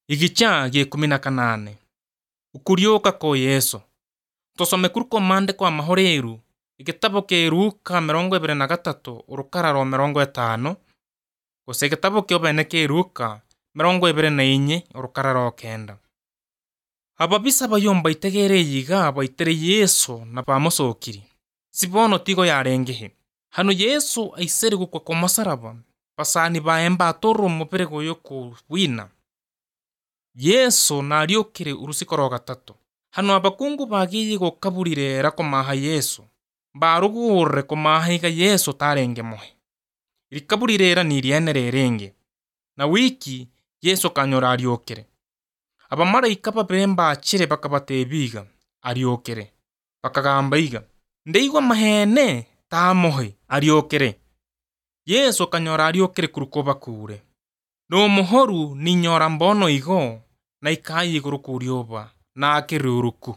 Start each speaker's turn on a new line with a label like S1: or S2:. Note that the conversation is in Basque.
S1: Igicha G18 Ukuriuka kwa Yesu. Tusome kuri maandiko amahoreru igitabo kia Luka 23 urukara rwa 50 gose igitabo kio bene kia Luka 24 urukara rwa 9. Ababisa bayomba itegere yiga baitere Yesu na bamusokiri. Sibono tigo yarengehe. Hano Yesu aisere gukwa kwa masaraba. Pasani baemba atoro mupere goyo ku wina. Yesu na ariokire urusiko rwa 3. Hano abakungu bagiye gukaburire rakomaha Yesu. Barugure komahiga Yesu tarenge mohe. Irikaburire ni rienere renge. Na wiki Yesu kanyora ariokire. Abamarayika babemba akire bakabatebiga ariokire. Bakagamba iga. Ndeigwa mahene tamohe ariokire. Yesu kanyora ariokire kurukoba kure. No muhoru ni nyora mbono igo na ikayi iguru kurioba na akiruruku.